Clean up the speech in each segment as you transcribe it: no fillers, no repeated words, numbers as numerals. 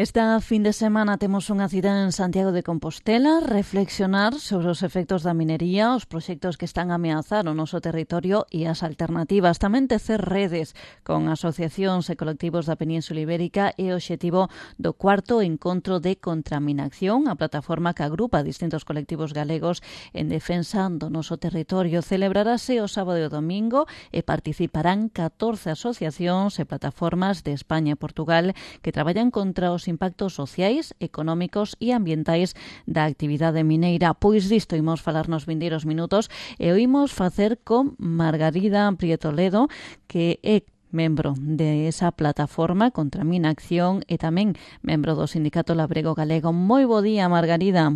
Esta fin de semana temos unha cita en Santiago de Compostela, reflexionar sobre os efectos da minería, os proxectos que están a ameazar o noso territorio e as alternativas. Tamén tecer redes con asociacións e colectivos da Península Ibérica e o obxectivo do cuarto encontro de Contraminación, a plataforma que agrupa distintos colectivos galegos en defensa do noso territorio. Celebrarase o sábado e o domingo e participarán 14 asociacións e plataformas de España e Portugal que traballan contra os impactos sociais, económicos e ambientais da actividade mineira. Pois disto imos falar nos vindeiros minutos e o imos facer con Margarida Prieto Ledo, que é membro de esa plataforma Contraminación e tamén membro do Sindicato Labrego Galego. Moi bo día, Margarida.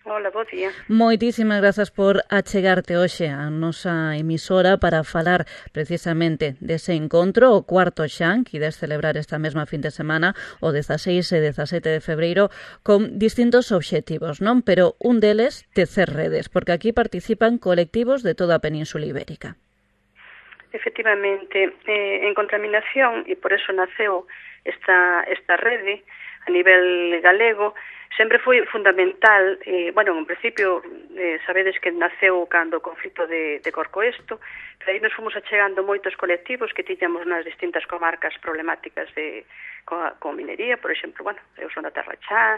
Hola, bo día. Moitísimas grazas por achegarte hoxe a nosa emisora para falar precisamente dese encontro, o cuarto xa, que ides celebrar esta mesma fin de semana, o 16 e 17 de febreiro, con distintos obxectivos, non? Pero un deles, tecer redes, porque aquí participan colectivos de toda a Península Ibérica. Efectivamente, en Contraminación, e por eso naceu esta rede a nivel galego, sempre foi fundamental, en principio, sabedes que naceu cando o conflito de Corcoesto, pero aí nos fomos achegando moitos colectivos que tiñamos nas distintas comarcas problemáticas con minería, por exemplo, eu son da Terra Chá,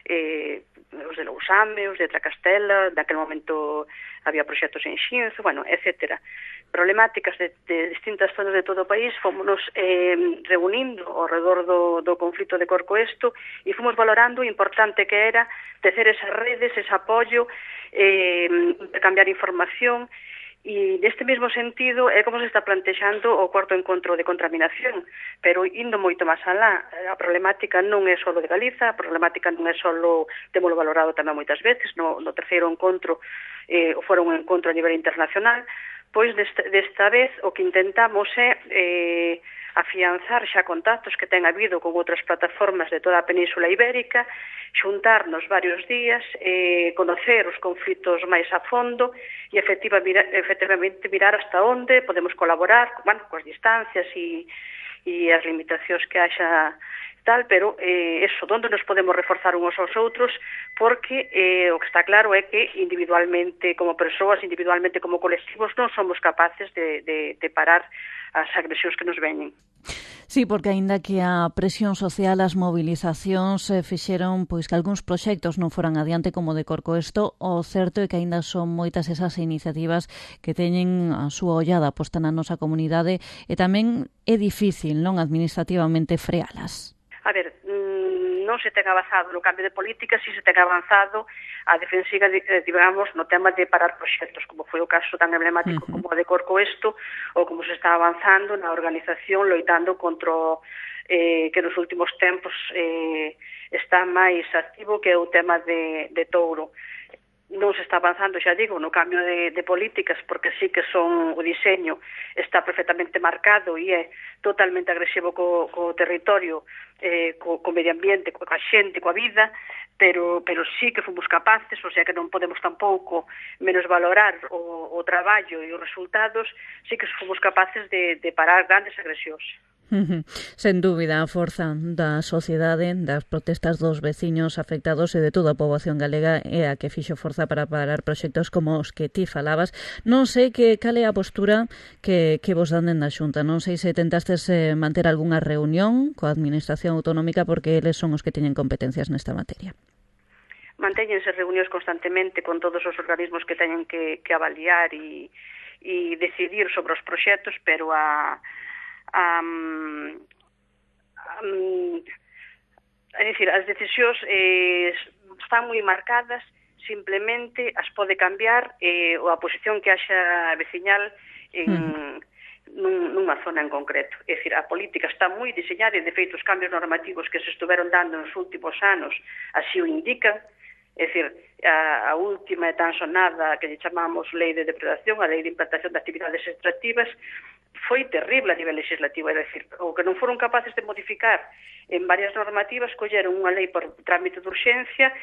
os de Lousame, os de Tracastela, daquel momento había proxectos en Xinzo, etcétera. Problemáticas de distintas zonas de todo o país, fomos reunindo ao redor do conflito de Corcoesto e fomos valorando o importante que era tecer esas redes, ese apoio, intercambiar información. E neste mesmo sentido é como se está plantexando o cuarto encontro de Contraminación, pero indo moito máis alá. A problemática non é só de Galiza, a problemática non é só, témolo valorado tamén moitas veces, no terceiro encontro, fora un encontro a nivel internacional, pois desta vez o que intentamos é afianzar xa contactos que ten habido con outras plataformas de toda a Península Ibérica, xuntarnos varios días, conocer os conflitos máis a fondo e efectivamente mirar hasta onde podemos colaborar, coas distancias e as limitacións que haxa tal, pero onde nos podemos reforzar uns aos outros, porque o que está claro é que individualmente como persoas, individualmente como colectivos, non somos capaces de parar as agresións que nos veñen. Sí, porque aínda que a presión social, as mobilizacións fixeron pois que algúns proxectos non foran adiante como de Corcoesto, o certo é que aínda son moitas esas iniciativas que teñen a súa ollada posta na nosa comunidade e tamén é difícil, non, administrativamente frealas. A ver, non se ten avanzado no cambio de política, si se ten avanzado a defensiva, digamos, no tema de parar proxectos, como foi o caso tan emblemático como o de Corcoesto, ou como se está avanzando na organización loitando contra que nos últimos tempos está máis activo, que é o tema de Touro. Non se está avanzando, xa digo, no cambio de políticas, porque sí que son o diseño está perfectamente marcado e é totalmente agresivo co territorio, co medio ambiente, coa xente, coa vida, pero sí que fomos capaces, o sea que non podemos tampouco menos valorar o traballo e os resultados, sí que fomos capaces de parar grandes agresións. Sen dúbida, a forza da sociedade, das protestas dos veciños afectados e de toda a poboación galega é a que fixo forza para parar proxectos como os que ti falabas. Non sei cal é a postura que vos dan da Xunta. Non sei se tentastes manter algunha reunión coa Administración Autonómica, porque eles son os que teñen competencias nesta materia. Mantéñense reunións constantemente con todos os organismos que teñen que avaliar e decidir sobre os proxectos, pero é dicir, as decisións están moi marcadas, simplemente as pode cambiar a posición que haxa veciñal nunha zona en concreto. É dicir, a política está moi diseñada e, de feito, os cambios normativos que se estuveron dando nos últimos anos así o indican. É dicir, a última e tan sonada que lle chamamos Lei de Depredación, a Lei de Implantación de Actividades Extractivas, foi terrible a nivel legislativo, é dicir, o que non foron capaces de modificar en varias normativas, colleron unha lei por trámite de urxencia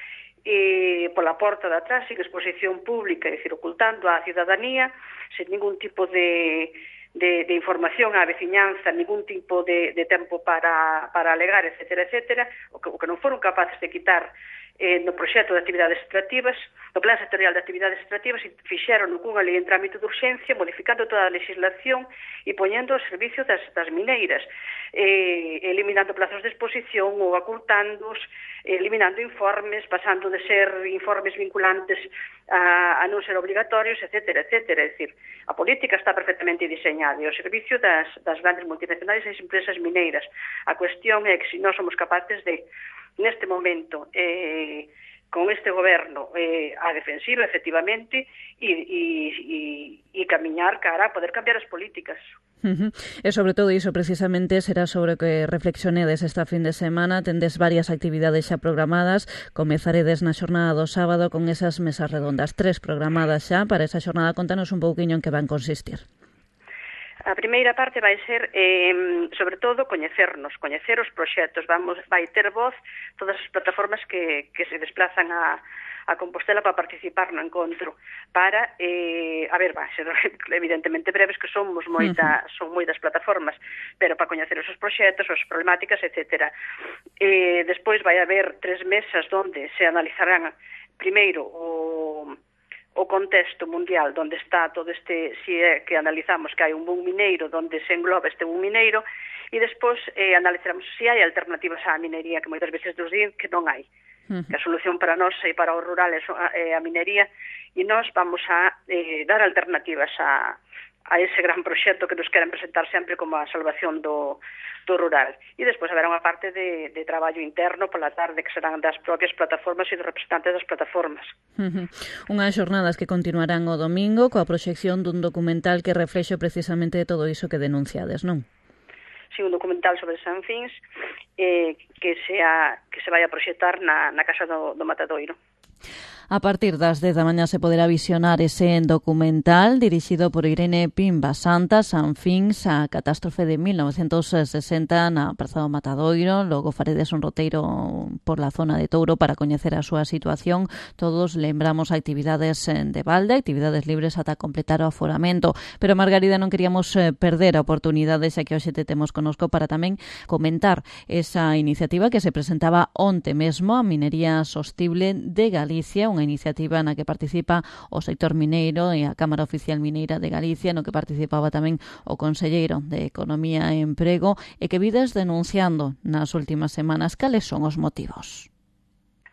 e pola porta de atrás, sin exposición pública, é dicir, ocultando á cidadanía, sen ningún tipo de información á veciñanza, ningún tipo de tempo para alegar, etcétera, etcétera, o que non foron capaces de quitar no proxecto de actividades extractivas, no plan sectorial de actividades extractivas, e fixeron cunha lei en trámite de urxencia, modificando toda a legislación e poñendo ao servicio das mineiras, eliminando plazos de exposición ou acortándoos, eliminando informes, pasando de ser informes vinculantes a non ser obligatorios, etcétera, etcétera. É dicir, a política está perfectamente diseñada e ao servicio das grandes multinacionais e das empresas mineiras. A cuestión é que se nós somos capaces de, neste momento, con este goberno a defensiva, efectivamente, e camiñar cara a poder cambiar as políticas. E sobre todo iso, precisamente, será sobre o que reflexionedes esta fin de semana. Tendes varias actividades xa programadas. Comezaredes na xornada do sábado con esas mesas redondas, 3 programadas xa para esa xornada. Contanos un pouquiño en que van consistir. A primeira parte vai ser, sobre todo, coñecer os proxectos. Vai ter voz todas as plataformas que se desplazan a Compostela para participar no encontro, para, vai ser evidentemente breves, que son moitas plataformas, pero para coñecer os proxectos, as problemáticas, etc. Despois vai haber 3 mesas onde se analizarán primeiro o contexto mundial onde está todo este, si é que analizamos que hai un boom mineiro, onde se engloba este boom mineiro, e despois analizaremos se hai alternativas á minería, que moitas veces nos din que non hai. Que a solución para nós e para o rural é a minería, e nós vamos a dar alternativas a ese gran proxecto que nos queren presentar sempre como a salvación do rural. E despois haberá unha parte de traballo interno pola tarde que serán das propias plataformas e dos representantes das plataformas. Unhas xornadas que continuarán o domingo coa proxección dun documental que reflexe precisamente todo iso que denunciades, non? Sí, un documental sobre Sanfins que se vai a proxectar na Casa do Matadoiro. A partir das 10 da mañá se poderá visionar ese documental dirixido por Irene Pimba Santa, Sanfins, a catástrofe de 1960 na Praza do Matadoiro. Logo faredes un roteiro por la zona de Touro para coñecer a súa situación. Todos lembramos actividades de balde, actividades libres ata completar o aforamento. Pero, Margarida, non queríamos perder a oportunidade, xa que hoxe te temos conosco, para tamén comentar esa iniciativa que se presentaba onte mesmo, a Minería Sostible de Galicia, unha iniciativa na que participa o sector mineiro e a Cámara Oficial Mineira de Galicia, no que participaba tamén o conselleiro de Economía e Emprego, e que vides denunciando nas últimas semanas. Cales son os motivos?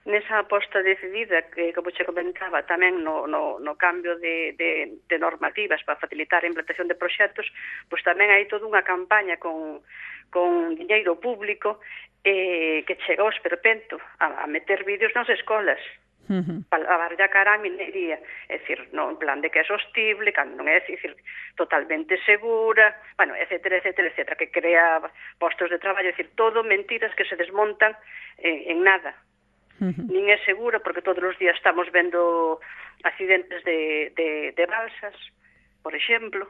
Nesa aposta decidida, que, como che comentaba, tamén no cambio de normativas para facilitar a implantación de proxectos, pois tamén hai toda unha campaña con diñeiro público que chega ao esperpento a meter vídeos nas escolas, para barallar cara a minería, é dicir, non en plan de que é sostible, cando non é, dicir, totalmente segura, bueno, etcétera, etcétera, etcétera, que crea postos de traballo, é dicir, todo mentiras que se desmontan en nada. Nin é seguro, porque todos os días estamos vendo accidentes de balsas, por exemplo,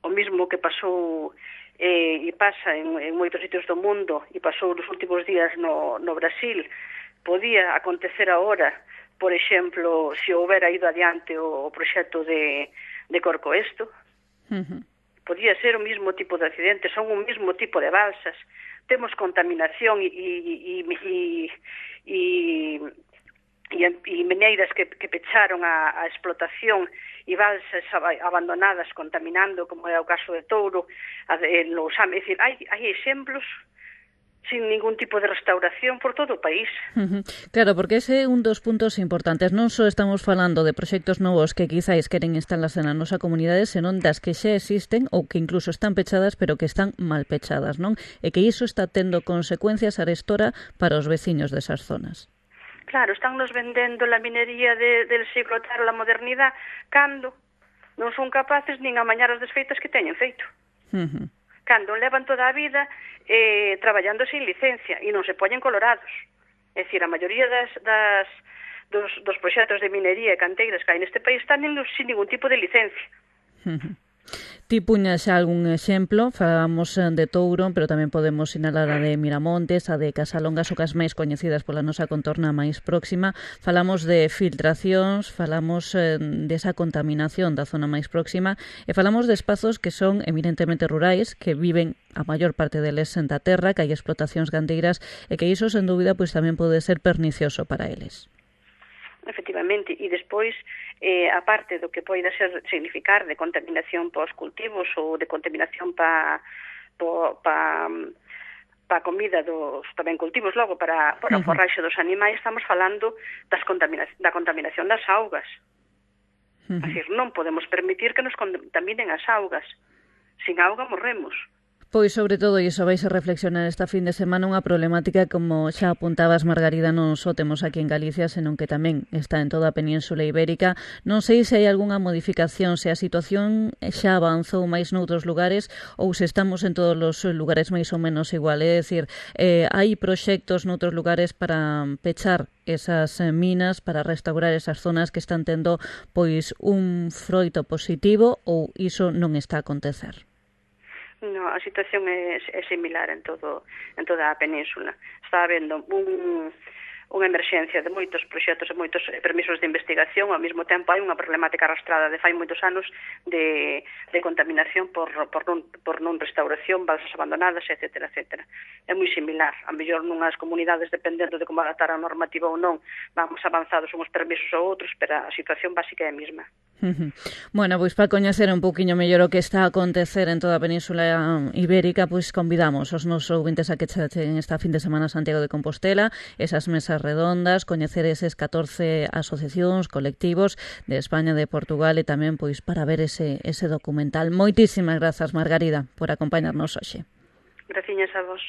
o mismo que pasou e pasa en moitos sitios do mundo, e pasou nos últimos días no Brasil, podía acontecer agora, por exemplo, se houbera ido adiante o proxecto de Corcoesto. Podía ser o mesmo tipo de accidentes, son o mesmo tipo de balsas. Temos contaminación e mineiras que pecharon a explotación e balsas abandonadas contaminando, como é o caso de Touro, Lousame. É dicir, hai exemplos sin ningún tipo de restauración por todo o país. Claro, porque ese é un dos puntos importantes. Non só estamos falando de proxectos novos que quizáis queren instalarse na nosa comunidade, senón das que xa existen ou que incluso están pechadas, pero que están mal pechadas, non? E que iso está tendo consecuencias arestora para os veciños desas zonas. Claro, están nos vendendo la minería del siglo III, la modernidade, cando non son capaces nin amañar as desfeitas que teñen feito. Cando levan toda a vida traballando sin licencia e non se poñen colorados. É dicir, a maioría dos proxectos de minería e canteiras que hai neste país están sin ningún tipo de licencia. Ti puñas xa algún exemplo, falábamos de Touro, pero tamén podemos sinalar a de Miramontes, a de Casalongas, ou cas máis coñecidas pola nosa contorna máis próxima. Falamos de filtracións, falamos desa contaminación da zona máis próxima e falamos de espazos que son eminentemente rurais, que viven a maior parte deles da terra, que hai explotacións gandeiras e que iso, sen dúbida, pois tamén pode ser pernicioso para eles. Efectivamente, e despois, a parte do que poida significar de contaminación para os cultivos ou de contaminación para comida dos tamén cultivos, logo para o forraxe dos animais, estamos falando da contaminación das augas. É dicir, non podemos permitir que nos contaminen as augas. Sin auga morremos. Pois, sobre todo, iso vais a reflexionar esta fin de semana, unha problemática, como xa apuntabas, Margarida, non só temos aquí en Galicia, senón que tamén está en toda a Península Ibérica. Non sei se hai algunha modificación, se a situación xa avanzou máis noutros lugares ou se estamos en todos os lugares máis ou menos igual. É dicir, hai proxectos noutros lugares para pechar esas minas, para restaurar esas zonas que están tendo pois un froito positivo, ou iso non está a acontecer? No, a situación é similar en toda a península. Está habendo unha emerxencia de moitos proxectos e moitos permisos de investigación, ao mesmo tempo hai unha problemática arrastrada de fai moitos anos de contaminación por non restauración, balsas abandonadas, etc. É moi similar. A mellor nunhas comunidades, dependendo de como adaptar a normativa ou non, vamos avanzados uns permisos ou outros, pero a situación básica é a mesma. Bueno, pois para coñecer un pouquiño mellor o que está a acontecer en toda a Península Ibérica, pois convidamos os nosos ouvintes a que chechen esta fin de semana a Santiago de Compostela, esas mesas redondas, coñecer eses 14 asociacións, colectivos de España, de Portugal, e tamén pois para ver ese documental. Moitísimas grazas, Margarida, por acompañarnos hoxe. Graciñas a vos.